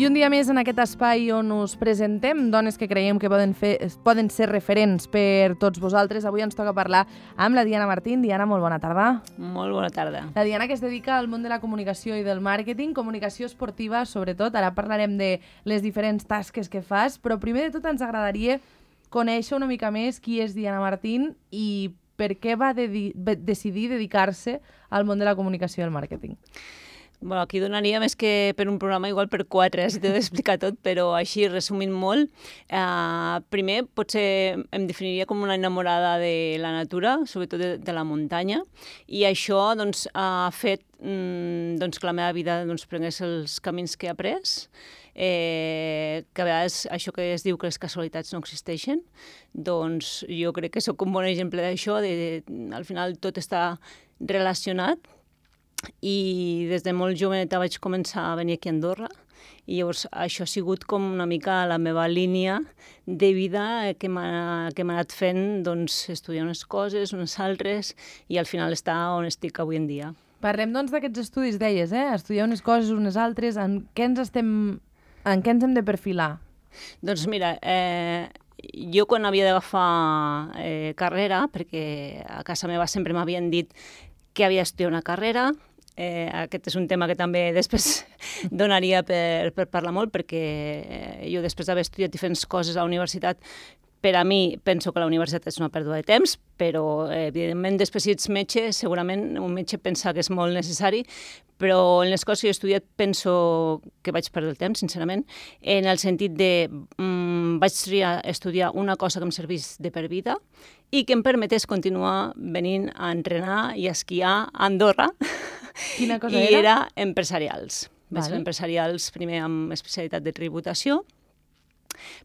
I un dia més en aquest espai on us presentem dones que creiem que poden ser referents per tots vosaltres. Avui ens toca parlar amb la Diana Martín. Diana, molt bona tarda. Molt bona tarda. La Diana, que es dedica al món de la comunicació i del màrqueting, comunicació esportiva sobretot. Ara parlarem de les diferents tasques que fas, però primer de tot ens agradaria conèixer una mica més qui és Diana Martín i per què va decidir dedicar-se al món de la comunicació i el màrqueting. Bueno, aquí donaria més que per un programa, igual per 4, si t'he d'explicar tot, però així, resumint molt, primer potser em definiria com una enamorada de la natura, sobretot de la muntanya, i això doncs, ha fet que la meva vida prengués els camins que he après, que a vegades això que es diu que les casualitats no existeixen, doncs jo crec que sóc un bon exemple d'això, al final tot està relacionat, i des de molt joveneta vaig començar a venir aquí a Andorra i llavors això ha sigut com una mica la meva línia de vida que m'ha anat fent estudiar unes coses, unes altres i al final estar on estic avui en dia. Parlem d'aquests estudis, deies, estudiar unes coses, unes altres, en què ens hem de perfilar? Doncs mira, jo quan havia d'agafar carrera, perquè a casa meva sempre m'havien dit que havia d'estudiar una carrera. Aquest és un tema que també després donaria per parlar molt, perquè jo després d'haver estudiat diferents coses a la universitat, per a mi penso que la universitat és una pèrdua de temps, però evidentment després si ets metge, segurament un metge pensa que és molt necessari, però en les coses que he estudiat penso que vaig perdre el temps, sincerament, en el sentit de vaig triar estudiar una cosa que em servís de per vida i que em permetés continuar venint a entrenar i a esquiar a Andorra. Quina cosa era? I era empresarials. Vaig fer Vale. empresarials primer amb especialitat de tributació,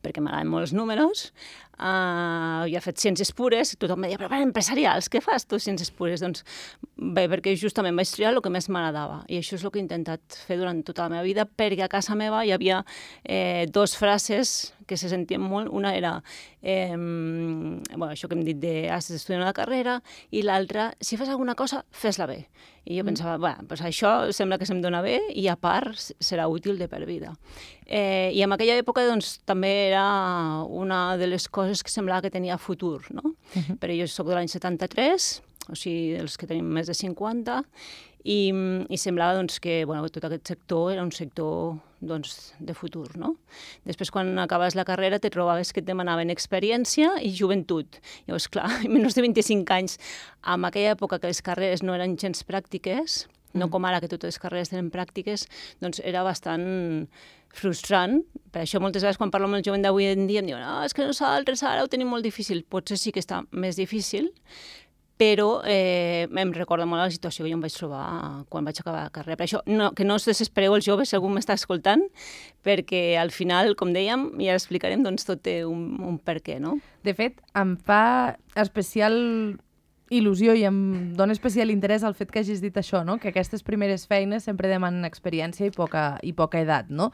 perquè m'agraden molt els números. Jo he fet ciències pures, tothom em deia, però empresarials, què fas tu, ciències pures? Doncs bé, perquè justament vaig triar el que més m'agradava i això és el que he intentat fer durant tota la meva vida, perquè a casa meva hi havia dues frases que se sentien molt. Una era això que hem dit de has d'estudiar una carrera i l'altra, si fas alguna cosa, fes-la bé. I jo pensava, doncs això sembla que se'm dona bé i a part serà útil de per vida. I en aquella època també era una de les coses que semblava que tenia futur, no? Però jo soc de l'any 73, o sigui, dels que tenim més de 50, i semblava que tot aquest sector era un sector de futur, no? Després, quan acabes la carrera, te trobaves que et demanaven experiència i joventut. Llavors, clar, menys de 25 anys, en aquella època que les carreres no eren gens pràctiques, no com ara que totes les carreres tenen pràctiques, doncs era bastant frustrant. Per això moltes vegades quan parlo amb el jovent d'avui en dia em diuen és que nosaltres ara ho tenim molt difícil. Potser sí que està més difícil, però em recorda molt la situació que jo em vaig trobar quan vaig acabar la carrera. Per això, que no us desespereu els joves, si algú m'està escoltant, perquè al final, com dèiem, i ara explicarem, tot té un per què, no? De fet, em fa especial il·lusió i em dona especial interès el fet que hagis dit això, no? Que aquestes primeres feines sempre demanen experiència i poca edat, no?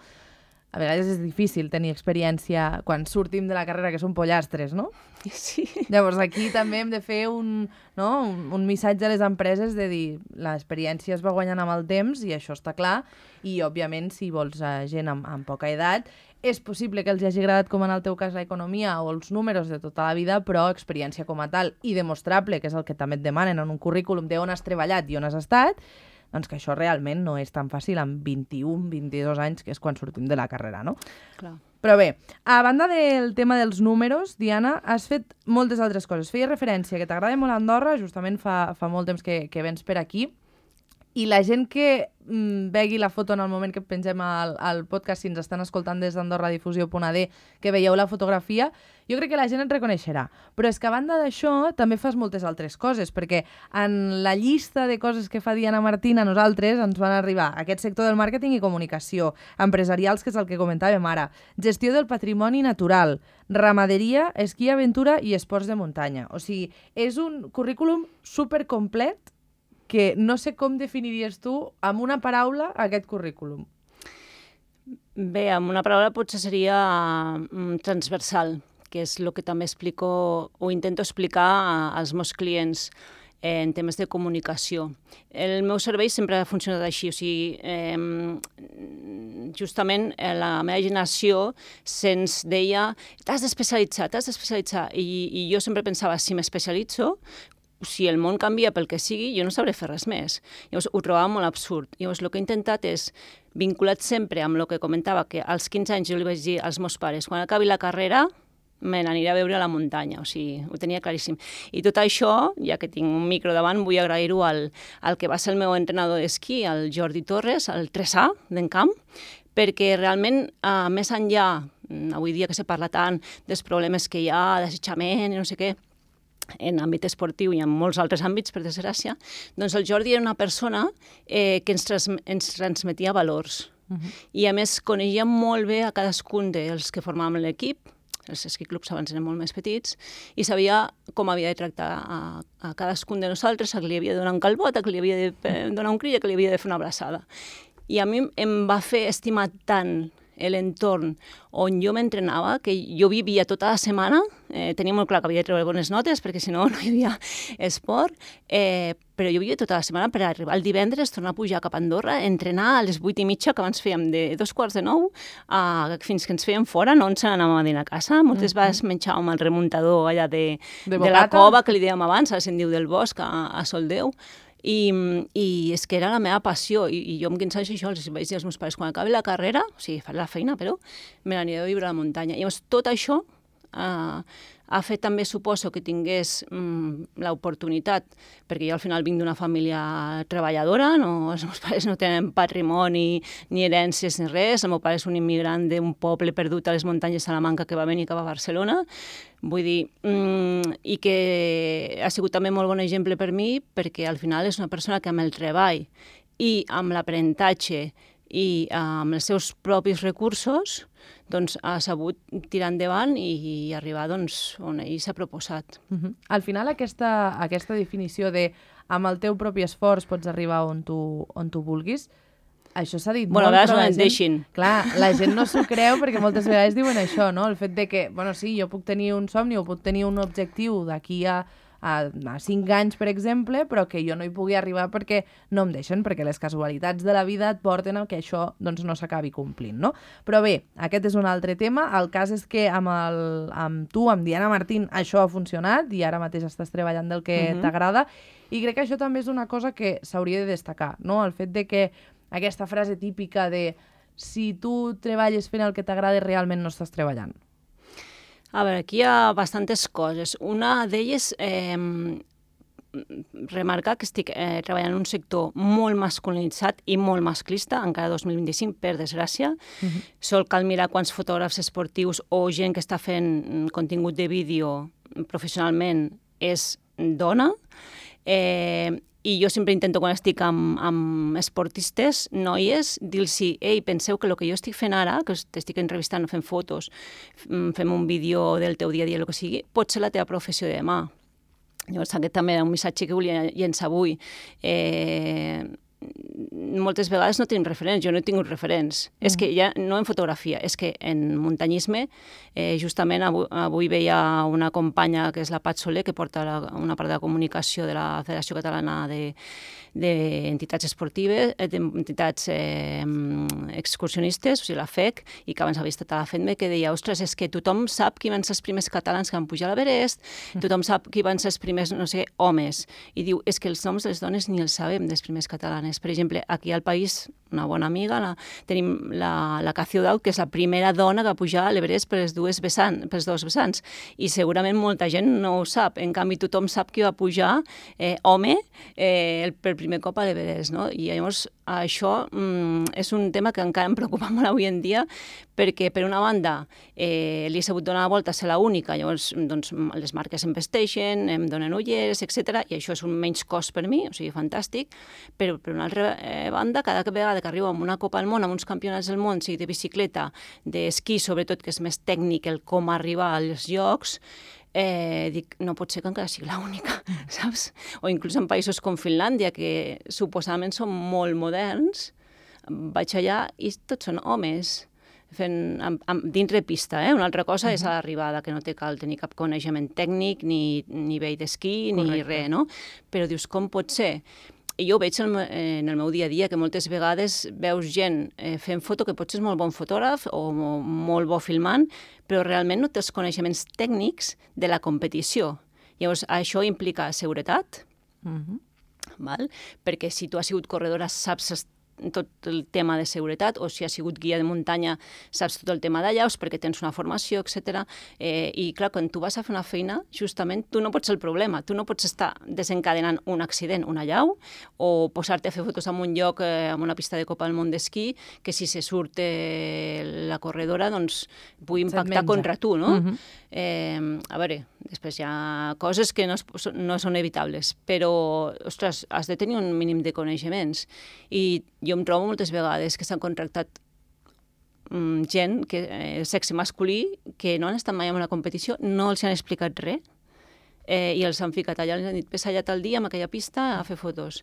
A vegades és difícil tenir experiència quan sortim de la carrera, que són pollastres, no? Sí. Llavors aquí també hem de fer un missatge a les empreses de dir l'experiència es va guanyant amb el temps i això està clar i òbviament si vols gent amb poca edat és possible que els hagi agradat com en el teu cas l'economia o els números de tota la vida, però experiència com a tal i demostrable, que és el que també et demanen en un currículum d'on has treballat i on has estat, doncs que això realment no és tan fàcil amb 21, 22 anys, que és quan sortim de la carrera, no? Clar. Però bé, a banda del tema dels números, Diana, has fet moltes altres coses. Feies referència que t'agrada molt Andorra, justament fa molt temps que vens per aquí, i la gent que vegi la foto en el moment que pengem al podcast, si ens estan escoltant des d'AndorraDifusió.ad, que veieu la fotografia, jo crec que la gent et reconeixerà. Però és que a banda d'això també fas moltes altres coses, perquè en la llista de coses que fa Diana Martín a nosaltres ens van arribar aquest sector del màrqueting i comunicació, empresarials, que és el que comentàvem ara, gestió del patrimoni natural, ramaderia, esquí, aventura i esports de muntanya. O sigui, és un currículum supercomplet que no sé com definiries tu amb una paraula aquest currículum. Bé, amb una paraula potser seria transversal, que és el que també explico o intento explicar als meus clients. en temes de comunicació. El meu servei sempre ha funcionat així, o sigui, justament la meva generació se'ns deia t'has d'especialitzar, i jo sempre pensava, si m'especialitzo, si el món canvia pel que sigui, jo no sabré fer res més. Llavors, ho trobava molt absurd. Llavors, el que he intentat és, vinculat sempre amb el que comentava, que als 15 anys jo li vaig dir als meus pares, quan acabi la carrera, me n'aniré a veure a la muntanya, o sigui, ho tenia claríssim. I tot això, ja que tinc un micro davant, vull agrair-ho al que va ser el meu entrenador d'esquí, el Jordi Torres, el 3A d'Encamp, perquè realment, més enllà, avui dia que se parla tant dels problemes que hi ha, d'assetjament i no sé què, en àmbit esportiu i en molts altres àmbits, per desgràcia, doncs el Jordi era una persona que ens transmetia valors. I a més coneixia molt bé a cadascun dels que formàvem l'equip, els esquiclubs abans eren molt més petits, i sabia com havia de tractar a cadascun de nosaltres, a qui li havia de donar un calbot, a qui li havia de donar un crit, a qui li havia de fer una abraçada. I a mi em va fer estimar tant l'entorn on jo m'entrenava, que jo vivia tota la setmana, tenia molt clar que havia de treure bones notes, perquè si no, no hi havia esport, però jo vivia tota la setmana per arribar el divendres, tornar a pujar cap a Andorra, entrenar a les 8:30, que abans fèiem de 8:45, fins que ens fèiem fora, no ens n'anàvem a dinar a casa, moltes vegades menjàvem el remuntador allà de la cova, que li dèiem abans, ara se'n diu del bosc, a Soldeu, i és que era la meva passió, i jo amb 15 anys això els vaig dir als meus pares, quan acabi la carrera, o sigui, faré la feina, però me n'aniré a viure a la muntanya. I llavors tot això ha fet també, suposo, que tingués l'oportunitat, perquè jo al final vinc d'una família treballadora, els meus pares no tenen patrimoni, ni herències ni res, el meu pare és un immigrant d'un poble perdut a les muntanyes de Salamanca que va venir cap a Barcelona, vull dir, i que ha sigut també molt bon exemple per mi, perquè al final és una persona que amb el treball i amb l'aprenentatge i amb els seus propis recursos doncs, ha sabut tirar endavant i arribar doncs, on ell s'ha proposat. Al final, aquesta definició de amb el teu propi esforç pots arribar on tu vulguis, això s'ha dit molt, a vegades no ens deixin. Clar, la gent no s'ho creu perquè moltes vegades diuen això, no? El fet de que, bueno, sí, jo puc tenir un somni o puc tenir un objectiu d'aquí a 5 anys, per exemple, però que jo no hi pugui arribar perquè no em deixen, perquè les casualitats de la vida et porten a que això doncs, no s'acabi complint, no? Però bé, aquest és un altre tema. El cas és que amb tu, amb Diana Martín, això ha funcionat i ara mateix estàs treballant del que t'agrada, i crec que això també és una cosa que s'hauria de destacar, no? El fet de que aquesta frase típica de si tu treballes fent el que t'agrada realment no estàs treballant. A veure, aquí hi ha bastantes coses. Una d'elles, remarcar que estic treballant en un sector molt masculinitzat i molt masclista, encara 2025, per desgràcia. Sol cal mirar quants fotògrafs esportius o gent que està fent contingut de vídeo professionalment és dona. I jo sempre intento, quan estic amb esportistes, noies, dir-los, ei, penseu que el que jo estic fent ara, que t'estic entrevistant, fent fotos, fem un vídeo del teu dia a dia, el que sigui, pot ser la teva professió de demà. Llavors, aquest també era un missatge que volia llençar avui. Moltes vegades no tenim referents, jo no he tingut referents. És que ja no en fotografia, és que en muntanyisme, justament avui veia una companya que és la Pat Soler, que porta una part de la comunicació de la Federació Catalana d'Entitats Esportives, d'Entitats Excursionistes, o sigui, la FEC, i que abans havia estat a la FEDME, que deia, ostres, és que tothom sap qui van ser els primers catalans que van pujar a l'Everest, tothom sap qui van ser els primers, no sé, homes. I diu, és que els noms de les dones ni els sabem, dels primers catalanes. Per exemple, aquí al país, una bona amiga, tenim la Cacio Daud, que és la primera dona que va pujar a l'Everest per els dos vessants. I segurament molta gent no ho sap. En canvi, tothom sap qui va pujar, home, per primer cop a l'Everest, no? I llavors això és un tema que encara em preocupa molt avui en dia, perquè per una banda li he sabut donar la volta a ser l'única, llavors doncs, les marques em vesteixen, em donen ulleres, etc. I això és un menys cost per mi, o sigui, fantàstic, però per una altra banda, cada vegada que arribo a una Copa del Món, a uns campionats del món, sigui de bicicleta, d'esquí, sobretot, que és més tècnic el com arribar als llocs, dic, no pot ser que encara sigui l'única, saps? O inclús en països com Finlàndia, que suposadament són molt moderns, vaig allà i tots són homes dintre pista, una altra cosa és a l'arribada, que no té cal tenir cap coneixement tècnic, ni nivell d'esquí, ni res, no? Però dius, com pot ser? I jo ho veig en el meu dia a dia, que moltes vegades veus gent fent foto que potser és molt bon fotògraf o molt bo filmant, però realment no té els coneixements tècnics de la competició. Llavors, això implica seguretat, val? Perquè si tu has sigut corredora saps tot el tema de seguretat, o si has sigut guia de muntanya saps tot el tema d'allaus perquè tens una formació, etc. I clar, quan tu vas a fer una feina, justament tu no pots ser el problema, tu no pots estar desencadenant un accident, un allau, o posar-te a fer fotos en un lloc, en una pista de Copa del Món d'esquí, que si se surt la corredora doncs pugui impactar contra tu, no? A veure, després hi ha coses que no són evitables, però, ostres, has de tenir un mínim de coneixements. I jo em trobo moltes vegades que s'han contractat gent, sexe masculí, que no han estat mai en una competició, no els han explicat res, i els han ficat allà, els han dit, ves allà tal dia amb aquella pista a fer fotos.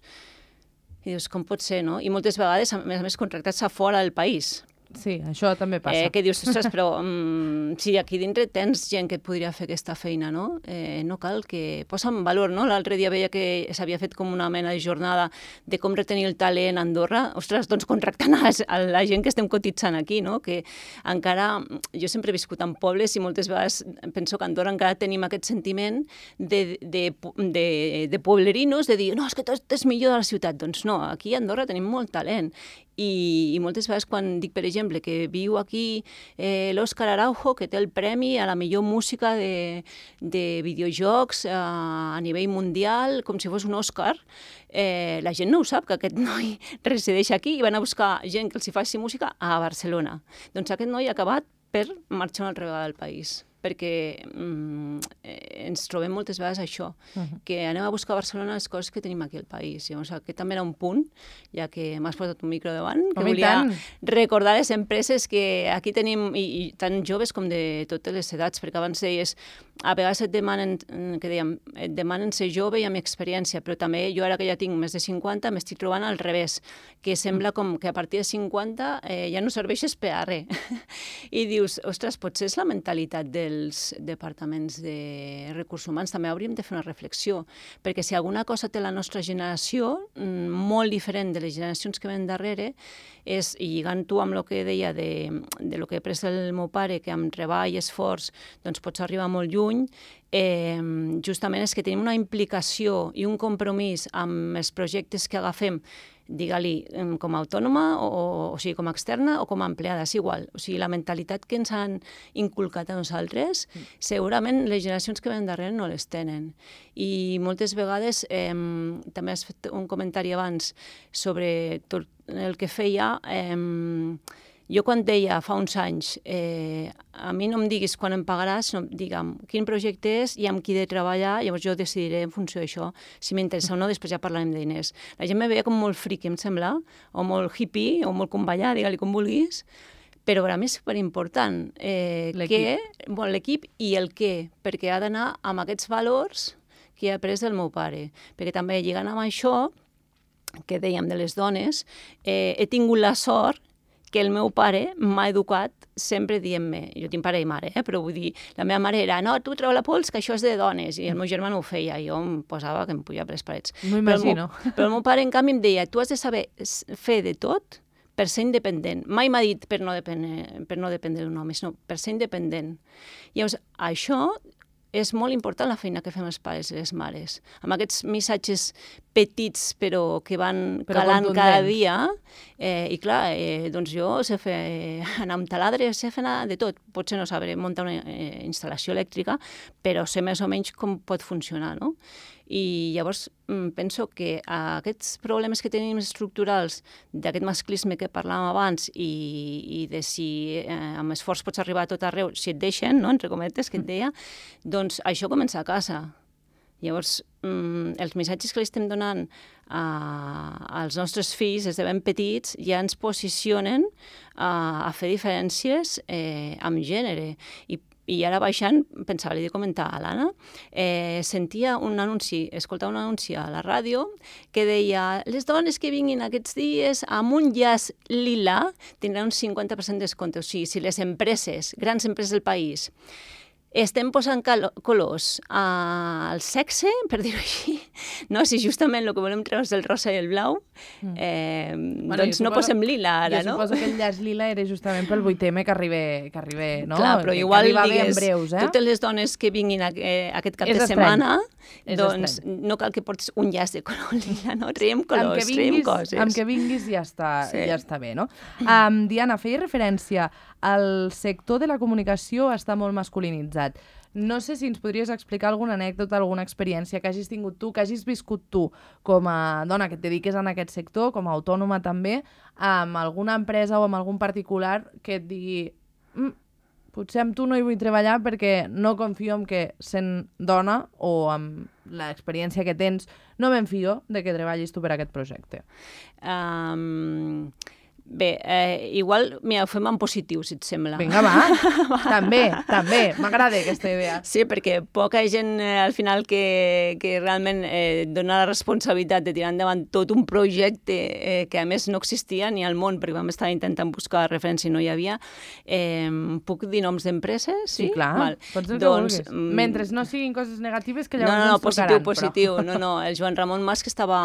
I dius, com pot ser, no? I moltes vegades, a més, contractats a fora del país. Sí, això també passa. Que dius, ostres, però si aquí dintre tens gent que et podria fer aquesta feina, no? No cal que posa en valor, no? L'altre dia veia que s'havia fet com una mena de jornada de com retenir el talent a Andorra. Ostres, doncs contractant a la gent que estem cotitzant aquí, no? Que encara, jo sempre he viscut en pobles i moltes vegades penso que a Andorra encara tenim aquest sentiment de pueblerinos, de dir, no, és que tot és millor de la ciutat. Doncs no, aquí a Andorra tenim molt talent. I moltes vegades quan dic, per exemple, que viu aquí l'Òscar Araujo, que té el premi a la millor música de videojocs a nivell mundial, com si fos un Òscar, la gent no ho sap, que aquest noi resideix aquí i van a buscar gent que els hi faci música a Barcelona. Doncs aquest noi ha acabat per marxar una altra vegada del país, perquè ens trobem moltes vegades això, que anem a buscar a Barcelona les coses que tenim aquí al país. Llavors, aquest també era un punt, ja que m'has posat un micro davant, que volia recordar les empreses que aquí tenim, i tant joves com de totes les edats, perquè abans deies, a vegades et demanen ser jove i amb experiència, però també jo ara que ja tinc més de 50 m'estic trobant al revés, que sembla com que a partir de 50 ja no serveixes per a res. I dius, ostres, potser és la mentalitat dels departaments de recursos humans, també hauríem de fer una reflexió, perquè si alguna cosa té la nostra generació, molt diferent de les generacions que ven darrere, és, i lligant-ho amb el que deia de lo que he après del meu pare, que amb treball i esforç doncs pots arribar molt lluny, justament és que tenim una implicació i un compromís amb els projectes que agafem, digue-li, com a autònoma, o sigui, com a externa o com a empleada, és igual. O sigui, la mentalitat que ens han inculcat a nosaltres, segurament les generacions que ven darrere no les tenen. I moltes vegades, també has fet un comentari abans sobre tot el que feia, jo quan deia fa uns anys, a mi no em diguis quan em pagaràs, sinó digue'm quin projecte és i amb qui he de treballar, llavors jo decidiré en funció d'això, si m'interessa o no, després ja parlarem de diners. La gent me veia com molt friqui, em sembla, o molt hippie, o molt convallar, digue-li com vulguis, però per a mi és superimportant l'equip i el què, perquè ha d'anar amb aquests valors que he après del meu pare, perquè també lligant amb això, que dèiem de les dones, he tingut la sort que el meu pare m'ha educat sempre dient-me, jo tinc pare i mare, però vull dir, la meva mare era, no, tu treu la pols, que això és de dones, i el meu germà no ho feia, i jo em posava que em pujava per les parets. M'ho imagino. Però el meu pare, en canvi, em deia, tu has de saber fer de tot per ser independent. Mai m'ha dit per no dependre d'un home, sinó per ser independent. Llavors, això és molt important la feina que fem els pares i les mares. Amb aquests missatges petits però que van calant cada dia. I clar, doncs jo sé fer anar amb taladre, sé fer anar de tot. Potser no sabré muntar una instal·lació elèctrica, però sé més o menys com pot funcionar, no? I llavors penso que aquests problemes que tenim estructurals d'aquest masclisme que parlàvem abans i de si amb esforç pots arribar a tot arreu, si et deixen, no? Entre cometes, que et deia, doncs això comença a casa. Llavors, els missatges que li estem donant als nostres fills des de ben petits ja ens posicionen a fer diferències amb gènere. I I ara baixant, pensava, li he de comentar a l'Anna, sentia un anunci, escoltava un anunci a la ràdio que deia les dones que vinguin aquests dies amb un llaç lila tindran un 50% de descompte. O sigui, si les empreses, grans empreses del país, estem posant colors al sexe, per dir-ho així, no? Si justament el que volem treure és el rosa i el blau, doncs no posem lila ara, no? Jo suposo que el llaç lila era justament pel 8M que arriba, no? Clar, però igual digues, breus, totes les dones que vinguin aquest cap de setmana, doncs no cal que portis un llaç de color lila, no? Traiem colors, traiem coses. Amb que vinguis ja està bé, no? Diana, feia referència al sector de la comunicació està molt masculinitzat. No sé si ens podries explicar alguna anècdota, alguna experiència que hagis tingut tu, que hagis viscut tu com a dona que et dediques en aquest sector, com a autònoma també, amb alguna empresa o amb algun particular que et digui potser amb tu no hi vull treballar perquè no confio en que sent dona o amb l'experiència que tens no me'n fio de que treballis tu per aquest projecte. Bé, igual ho fem en positiu, si et sembla. Vinga, va. També. M'agrada aquesta idea. Sí, perquè poca gent al final que realment dona la responsabilitat de tirar endavant tot un projecte que a més no existia ni al món, perquè vam estar intentant buscar referència i no hi havia. Puc dir noms d'empreses? Sí, clar. Pots dir el que vulguis. Mentre no siguin coses negatives que llavors ens tocaran. Positiu. No, el Joan Ramon Mas, que estava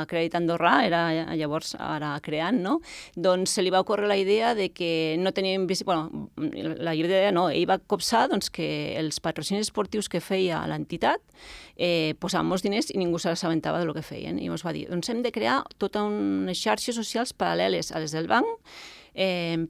a Crèdit Andorrà, era llavors ara creant, no? Doncs se li va ocórrer la idea de que no teníem... Bueno, la idea no, ell va copsar doncs, que els patrocinis esportius que feia l'entitat posaven molts diners i ningú se l'assabentava del que feien. I ens va dir, doncs hem de crear tota unes xarxes socials paral·leles a les del banc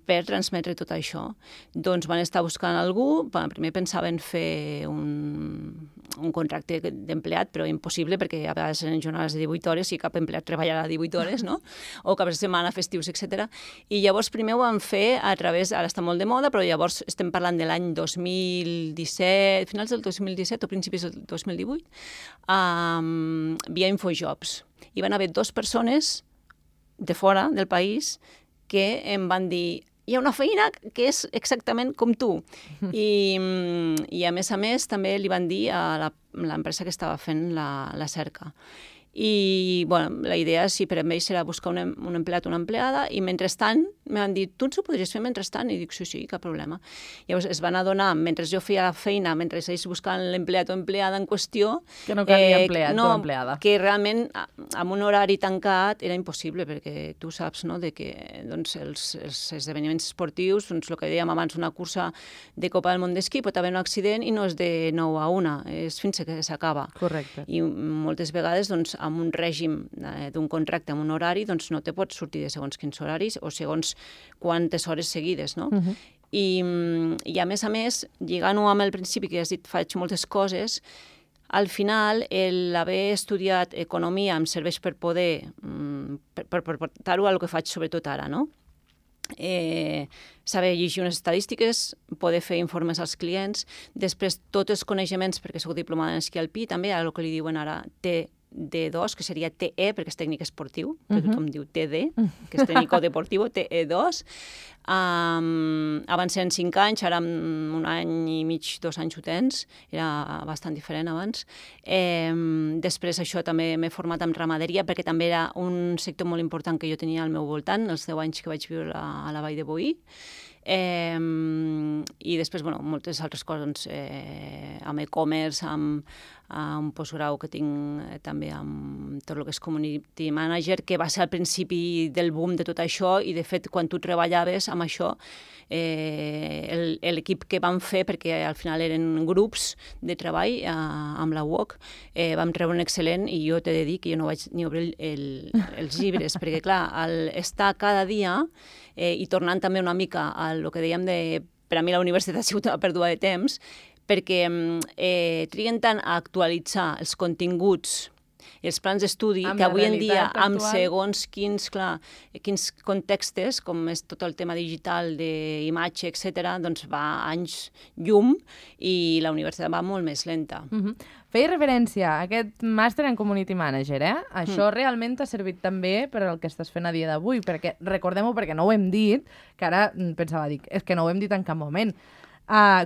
per transmetre tot això. Doncs van estar buscant algú, primer pensaven fer un contracte d'empleat, però impossible, perquè a vegades eren jornades de 18 hores i cap empleat treballarà 18 hores, no? O cap de setmana, festius, etc. I llavors primer ho van fer a través, ara està molt de moda, però llavors estem parlant de l'any 2017, finals del 2017 o principis del 2018, via Infojobs. Hi van haver 2 persones de fora del país que em van dir hi ha una feina que és exactament com tu. I a més també li van dir a l'empresa que estava fent la cerca. I bueno, la idea, sí, per a ells era buscar un empleat o una empleada, i mentrestant me van dir, tu ens ho podries fer mentrestant? I dic, sí, cap problema. Llavors es van adonar, mentre jo feia la feina, mentre ells buscaven l'empleat o empleada en qüestió... Que no calia empleat o empleada. Que realment amb un horari tancat era impossible, perquè tu saps, no?, de que doncs, els esdeveniments esportius, doncs, el que dèiem abans, una cursa de Copa del Món d'esquí, pot haver un accident i no és de 9 a 1, és fins que s'acaba. Correcte. I moltes vegades, doncs, amb un règim d'un contracte, amb un horari, doncs no te pots sortir de segons quins horaris o segons quantes hores seguides, no? I a més, lligant-ho amb el principi que has dit, faig moltes coses, al final, l'haver estudiat economia em serveix per poder, per portar-ho a lo que faig sobretot ara, no? Saber llegir unes estadístiques, poder fer informes als clients, després tots els coneixements, perquè soc diplomada en esquí alpí, també el que li diuen ara TD2, que seria TE, perquè és tècnic esportiu, perquè tothom diu TD, que és tècnico deportivo, TE2. Abans eren 5 anys, ara en un any i mig, 2 anys ho tens, era bastant diferent abans. Després això també m'he format en ramaderia, perquè també era un sector molt important que jo tenia al meu voltant, els 10 anys que vaig viure a la Vall de Boí. I després, bueno, moltes altres coses, amb e-commerce, amb un postgrau que tinc també amb tot el que és community manager, que va ser al principi del boom de tot això, i de fet quan tu treballaves amb això, l'equip que vam fer, perquè al final eren grups de treball amb la UOC, vam treure un excel·lent, i jo t'he de dir que jo no vaig ni obrir els llibres, perquè clar, estar cada dia i tornant també una mica al que dèiem per a mi la universitat ha sigut una pèrdua de temps, perquè triguen tant a actualitzar els continguts i els plans d'estudi, que avui en dia, amb segons quins contextos, com és tot el tema digital, d'imatge, etc., doncs va anys llum i la universitat va molt més lenta. Feia referència a aquest màster en Community Manager, Això realment t'ha servit també per al que estàs fent a dia d'avui, perquè recordem-ho, perquè no ho hem dit, que ara pensava, és que no ho hem dit en cap moment.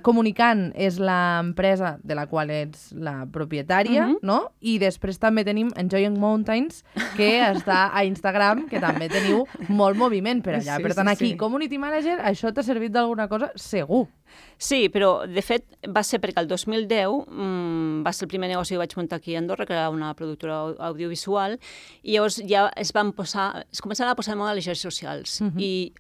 Comunicant és l'empresa de la qual ets la propietària, no? I després també tenim Enjoying Mountains, que està a Instagram, que també teniu molt moviment per allà. Per tant, aquí, Community Manager, això t'ha servit d'alguna cosa? Segur. Sí, però de fet va ser perquè el 2010 va ser el primer negoci que vaig muntar aquí a Andorra, que era una productora audiovisual, i llavors ja es començaven a posar de moda les xarxes socials. I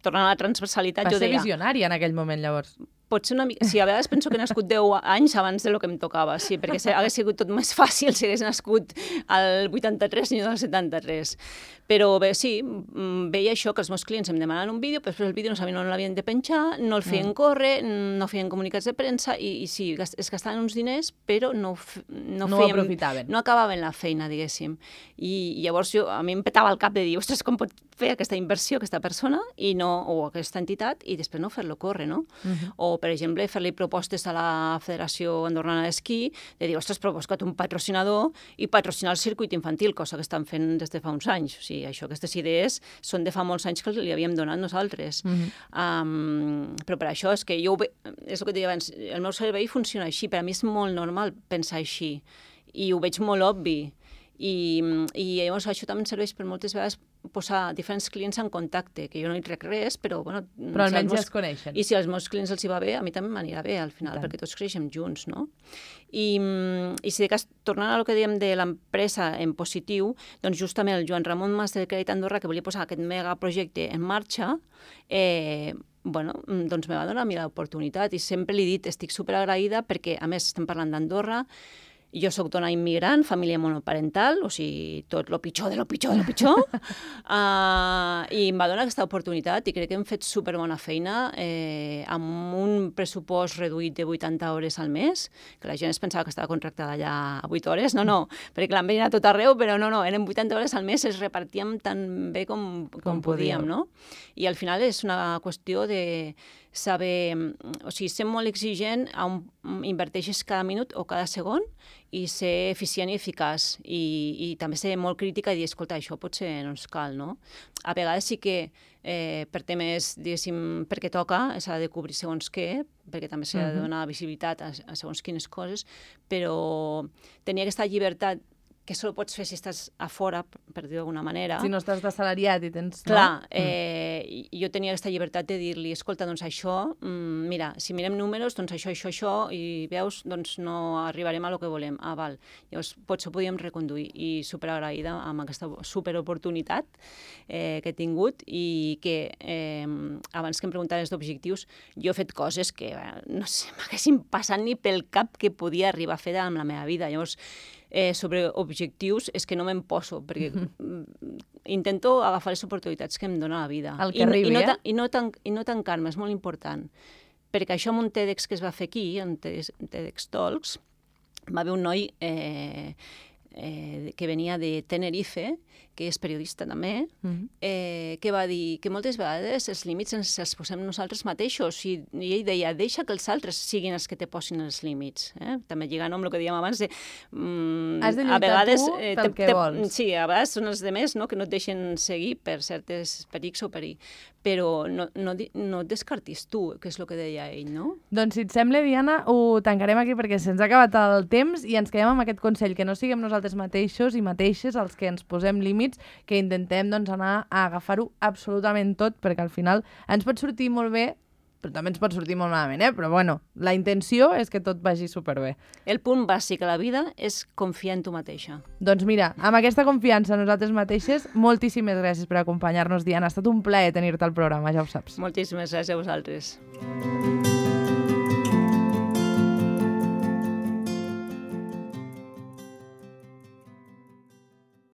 tornant a la transversalitat, jo deia... Va ser visionària en aquell moment, llavors. Potser una mica... Sí, a vegades penso que he nascut 10 anys abans de lo que em tocava, sí, perquè hagués sigut tot més fàcil si hagués nascut al 83 i no al 73. Però bé, sí, veia això, que els meus clients em demanaven un vídeo, però després el vídeo no sabien on l'havien de penjar, no el feien córrer, no feien comunicats de premsa, i sí, es gastaven uns diners, però no ho aprofitaven. No acabaven la feina, diguéssim. I llavors a mi em petava el cap de dir, ostres, com pot fer aquesta inversió aquesta persona o aquesta entitat i després no fer-lo córrer, no? O, per exemple, fer-li propostes a la Federació Andorrana d'Esquí, de dir, ostres, però he buscat un patrocinador i patrocinar el circuit infantil, cosa que estan fent des de fa uns anys. O sigui, això, aquestes idees són de fa molts anys que li havíem donat nosaltres. Però per això és que és el que et deia abans, el meu cervell funciona així, per a mi és molt normal pensar així i ho veig molt obvi. I llavors això també em serveix per moltes vegades posar diferents clients en contacte, que jo no hi trec res, però... Bueno, però almenys ja es coneixen. I si als meus clients els hi va bé, a mi també m'anirà bé al final, perquè tots creixem junts, no? I si de cas, tornant a lo que dèiem de l'empresa en positiu, doncs justament el Joan Ramon Mas del Crèdit Andorra, que volia posar aquest megaprojecte en marxa, doncs me va donar a mi l'oportunitat i sempre li he dit, estic superagraïda perquè, a més, estem parlant d'Andorra. Jo soc dona immigrant, família monoparental, o sigui, tot lo pitjor de lo pitjor de lo pitjor, i em va donar aquesta oportunitat i crec que hem fet superbona feina amb un pressupost reduït de 80 hores al mes, que la gent es pensava que estava contractada allà a 8 hores, no, perquè l'han venit a tot arreu, però no, eren 80 hores al mes, es repartíem tan bé com podíem, no? I al final és una qüestió de saber, o sigui, ser molt exigent on inverteixes cada minut o cada segon i ser eficient i eficaç i també ser molt crítica i dir, escolta, això potser no ens cal, no? A vegades sí que per temes, diguéssim, perquè toca, s'ha de cobrir segons què, perquè també s'ha de donar visibilitat a segons quines coses, però tenir aquesta llibertat que solo pots fer si estàs a fora, per dir d'alguna manera. Si no estàs d'assalariat i tens... Clar, jo tenia aquesta llibertat de dir-li, escolta, doncs això, mira, si mirem números, doncs això, i veus, doncs no arribarem a lo que volem. Val. Llavors, potser ho podíem reconduir i superagraïda amb aquesta superoportunitat que he tingut i que, abans que em preguntaves d'objectius, jo he fet coses que, no sé, m'haguessin passat ni pel cap que podia arribar a fer amb la meva vida. Llavors, sobre objectius és que no me'n poso, perquè intento agafar les oportunitats que em dona la vida. El que arribi, I no tancar-me, és molt important. Perquè això amb un TEDx que es va fer aquí, en TEDx Talks, va haver un noi que venia de Tenerife, que és periodista també, que va dir que moltes vegades els límits ens els posem nosaltres mateixos i ell deia, deixa que els altres siguin els que te posin els límits. També lligant amb el que dèiem abans de... Has de lluitar tu pel que vols. Sí, a vegades són els demés que no et deixen seguir per certes perics o perill, però no et descartis tu, que és el que deia ell, no? Doncs si et sembla, Diana, ho tancarem aquí perquè se'ns ha acabat el temps i ens quedem amb aquest consell, que no siguem nosaltres mateixos i mateixes els que ens posem límits, que intentem anar a agafar-ho absolutament tot, perquè al final ens pot sortir molt bé, però també ens pot sortir molt malament, però bueno, la intenció és que tot vagi superbé. El punt bàsic a la vida és confiar en tu mateixa. Doncs mira, amb aquesta confiança en nosaltres mateixes, moltíssimes gràcies per acompanyar-nos, Diana. Ha estat un plaer tenir-te al programa, ja ho saps. Moltíssimes gràcies a vosaltres.